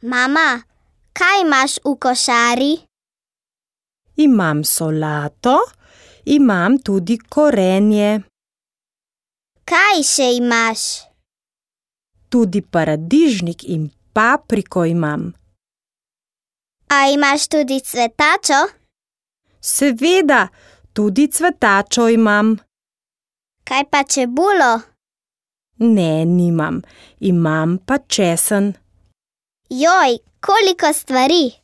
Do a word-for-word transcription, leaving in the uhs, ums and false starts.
Mama, kaj imaš v košari? Imam solato, imam tudi korenje. Kaj še imaš? Tudi paradižnik in papriko imam. A imaš tudi cvetačo? Seveda, tudi cvetačo imam. Kaj pa čebulo? Ne, nimam. Imam pa česen. Joj, koliko stvari!